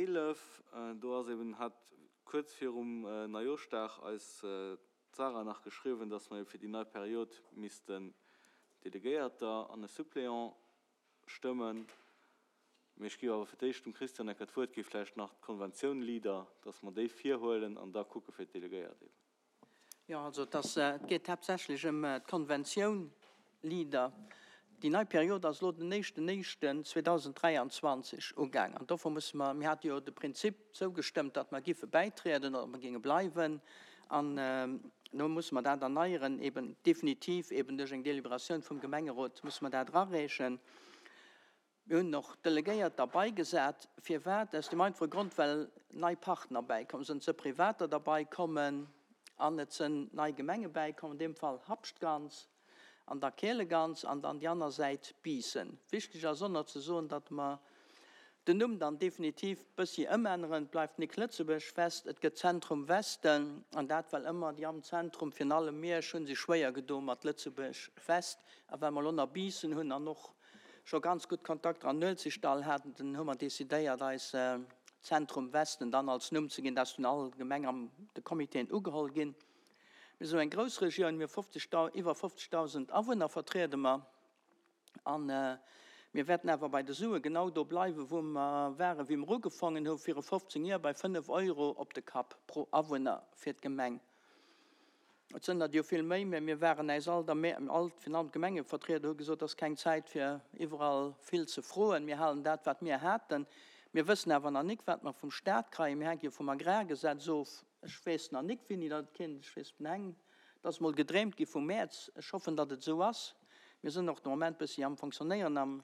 11, do ass eben, hat kuerz virum Neijooschdag eis d'Sarah nach geschriwwen, dass mer eben fir déi nei Period missten Delegéierter an e Suppléant stëmmen. Mee ech géif awer fir d'éischt dem Christian Ecker d'Wuert gi, vläicht nach d'Konventioun Leader, dass mer déi virhuelen an da kucke fir d'Delegéiert eben. Jo, also et ass, et geet haaptsächlech ëm d'Konventioun Leader. Déi nei Period ass elo den éischten éischten 2023 ugaang an dofir musse mer, mir hate jo de Prinzip zougestëmmt, datt mer giffe bäitrieden oder mer géinge bleiwen an elo musse mer dat erneieren, eben definitiv eben duerch eng Deliberatioun vum Gemengerot musse mer dat erareechen. Mir hunn och Delegéiert derbaigesat. Firwat? Aus dem einfache Grond, well nei Partner bäikomm sinn. Et si Privater derbaikommen an et sinn nei Gemenge bäikomm, an deem Fall Habschtgans an da Keelegans an dann déi aner Säit Biissen. Wichteg ass och nach ze soen, datt mer den Numm dann definitiv bëssi ëmänneren. Et bleift nik Lëtzebuerg West, et gëtt Zentrum Westen an dat well ëmmer déi am Zentrum, virun allem Miersch, hu sech schwéier gedo mat Lëtzebuerg West. A well mer elo nach Biissen hunn an och scho ganz gutt Kontakter an Nuelzechtdall haten, dann hu mer decidéiert eis Zentrum Westen dann als Numm ze ginn. Dat ass vun all Gemeng an de Comitéen ugeholl ginn. Mir sinn eng grouss Regioun, mir hu 50, iwwer 50.000 Awunner vertriede mer a mir wäerten awer bei de Sue genau do bleiwen, wou mer waren, wéi mer ugefongen hu viru 15 Joer, bei 5 Euro op de Kapp pro Awunner fir d'Gemeng. Et sënn der jo vill méi, mä mir waren äis all der Mä, all, virun allem d'Gemengevertrieder hu gesot, et ass keng Zäit fir iwwerall vill ze froen, mir halen dat wat mir haten. Mir wëssen awer nach nik wat mer vum Stat kreien, mir hänke jo vum Agrargesetz of. Ech weess nach nik wéini dat et kéint, ech weess den Heng, et ass mol gedreemt gi vum Mäerz, ech hoffen datt et esou ass. Mir sënn och de Moment bëssi am Fonctionnéieren, am.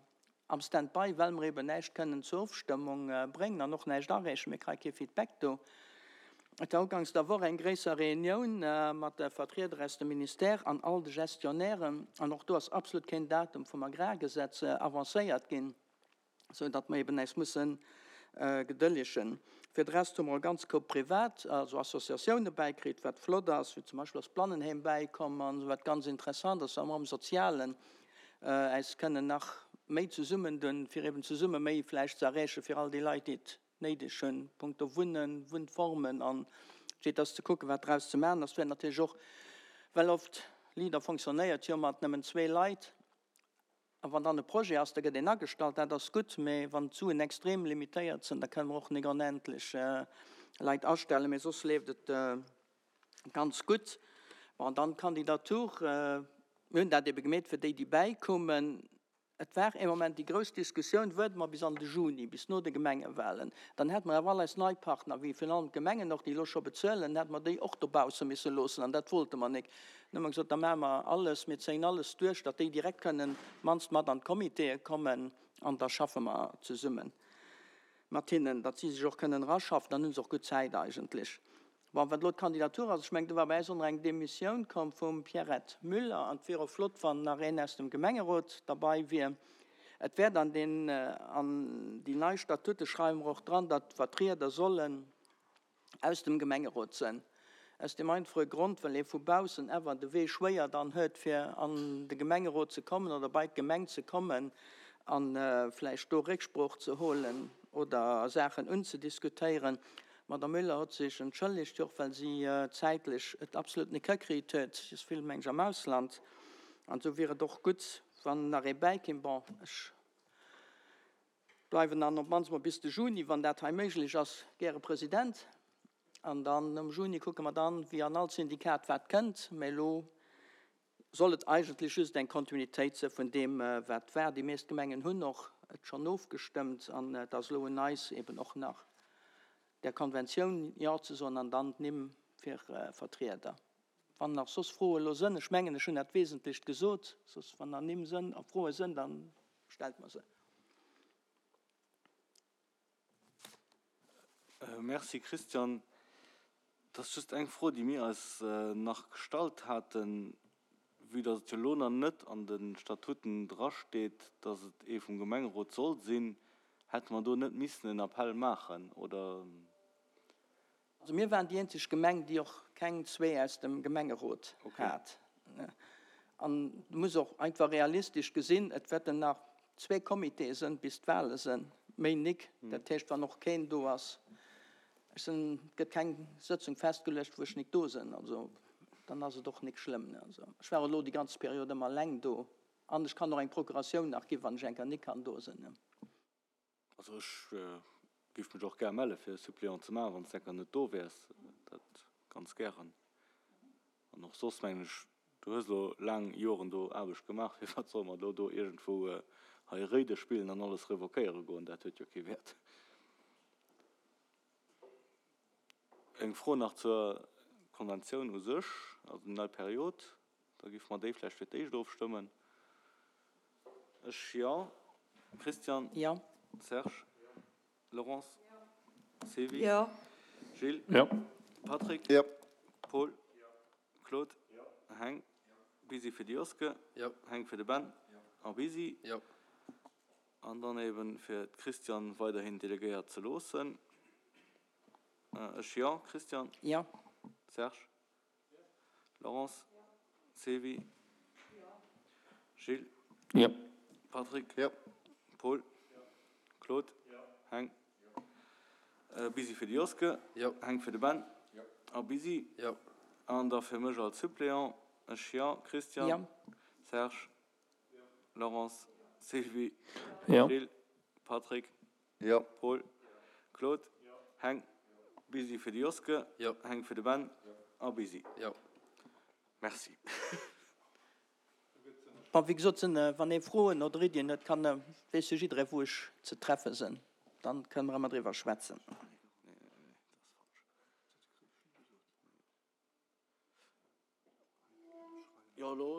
Am Stand-by, well mer eben näischt kënnen zur Ofstëmmung bréngen an och näischt areechen. Mir kréie kee Feedback do. Et war uganks der Woch eng gréisser Reunioun mat de Vertrieder aus dem Ministère an all de Gestionnairen an och do ass absolut keen Datum vum Agrargesetz avancéiert ginn, sou datt mer eben äis musse gedëllegen. Fir de Rest hu mer e ganz Koup privat, also Associatioune bäikritt, wat flott ass, wéi zum Beispill ass d'Blannenheem bäikomm an wat ganz interessant ass, wa mer am Sozialen äis kënnen nach méi zesummendun, fir eben zesumme méi vläicht ze erreeche fir all déi Leit, déi et néideg hunn, punkto Wunnen, Wunnformen an et ass ze kucken, wat draus ze maachen ass. Wäert natierlech och, well oft Leader fonctionnéiert jo mat nëmmen zwee Leit, a wann dann e Projet ass, da gëtt een agestallt, dat ass gutt, mä wann d'Suen extrem limitéiert sinn, da kënnen mer och nik onendlech Leit astellen, mä soss leeft et Ganz gutt. Bon, dann d'Kandidatur. Mir hunn dat ebe gemeet fir déi, déi bäikommen. Et war ee Moment déi grouss Diskussioun, Wuarde mer bis an de Juni, bis no de Gemengewahlen? Dann hätte mer awer all eis nei Partner, wéi virun allem d'Gemengen och, déi elo scho bezuelen, hätte mer déi och dobausse misse loossen. An dat wollte mer nik. Dann hu mer gesot, da maache mer alles, mir zéien alles duerch, datt déi direkt kënnen d'mannst mat an d'Comitéë kommen an da schaffe mer zesummen mat hinnen, datt si sech och kënnen eraschaffen. Dann hu se och gutt Zäit eigentlech. Bon, wat elo d'Kandidatur ass, ech mengen, do war bei äis och nach eng Demissioun komm vum Pierrette Müller an et wier och flott, wann nach een aus dem Gemengerot derbei wier. Et wäert an den, an déi nei Statute schreiwe mer och dran, datt d'Vertrieder sollen aus dem Gemengerot sënn. Aus deem einfache Grond, well ee vu baussen awer de Wee schwéier dann huet, fir an de Gemengerot ze kommen oder bei d'Gemeng ze kommen a vläicht do Récksprooch ze holen oder Saachen unzediskutéieren. D'Madame Müller hott sech entschëllegt, jo och well si zäitlech et absolut net hikritt huet, si ass vill, meng ech, am Ausland, an esou wier et och gutt, wann nach ee bäikéim. Bon, ech bleiwen dann op d'mannst mol bis de Juni, wann dat hei méiglech ass, gäre President, an dann nom Juni kucke mer dann, wéi an all Syndikat wat kënnt. Mä elo soll et eigentlech just eng Kontinuitéit se vun deem, wat war. Déi meescht Gemengen hunn och et schonn ofgestëmmt an et ass elo un eis eben och nach där Konventioun Jo ze soen an dann d'Nimm fir Vertrieder. Wann nach soss Froe elo sënn, ech mengen ech hunn dat Wesentlecht gesot, soss wann nach Nimm sënn a Froe sënn, da stellt mer se. Merci Christian. Et ass just eng Fro, déi mir eis nach gestallt haten, Vue dass et jo elo nach net an de Statuten drasteet, dass et ee vum Gemengerot soll sinn, hätte mer do net missen en Appell maachen, oder? Also mir waren déi eenzeg Gemeng, déi och keng zwee aus dem Gemengerot hat. An du muss och einfach realistesch gesinn, et wäerten nach zwee Comitéë sënn, bis d'Wahle sënn. méi nik. Dat heescht, wann och keen do ass, ech sinn, et gëtt keng Sëtzung festgeluecht, wou ech nik do sinn. Also dann ass et och nik schlëmm. Also ech war elo déi ganz Period ëmmer eleng do an ech kann och eng Procuratioun nach ginn, wann ech eng Kéier nik kann do sinn. Also ech géif mech och gär melle fir e Suppléant ze maachen, wann s de enker net do wäers. Dat ganz gären. An och soss mengen ech, du hues elo laang Joren do Aarbecht gemaach, firwat solle mer elo do iergendwou hei Réide spillen an alles revoquéiere goen? Dat huet jo kee Wäert. Eng Fro nach zur Konventioun u sech, also déi nei Period. Da géife mer déi vläicht fir d'éischt ofstëmmen. Ech, jo. Christian? Jo. Serge? Laurence? Sylvie? Jo. Gilles? Jo. Patrick? Jo. Paul? Claude? Heng? Busy fir de Joske? Jo. Heng fir de Ben? A Busy? Jo. An dann eben fir d'Christiane weiderhin delegéiert ze loossen. Ech, jo. Christian? Jo. Serge? Laurence? Sylvie? Gilles? Jo. Patrick? Jo. Paul? Claude? Heng? Busy fir de Joske? Jo. Heng fir de Ben? A Busy? Jo. An da fir mech als Suppléant, ech, jo. Christian? Jo. Serge? Laurence? Sylvie? Jo. Gilles? Patrick? Jo. Paul, Claude, Heng, Busy fir de Joske, Jo. Heng fir de Ben a Busy. Jo. Merci. Bon, wéi gesot, sinn, wann ee Froen oder Iddien huet, kann, weess jo jidderee wou ech ze treffe sinn, dann kënne mer ëmmer driwwer schwätzen. Jo, elo.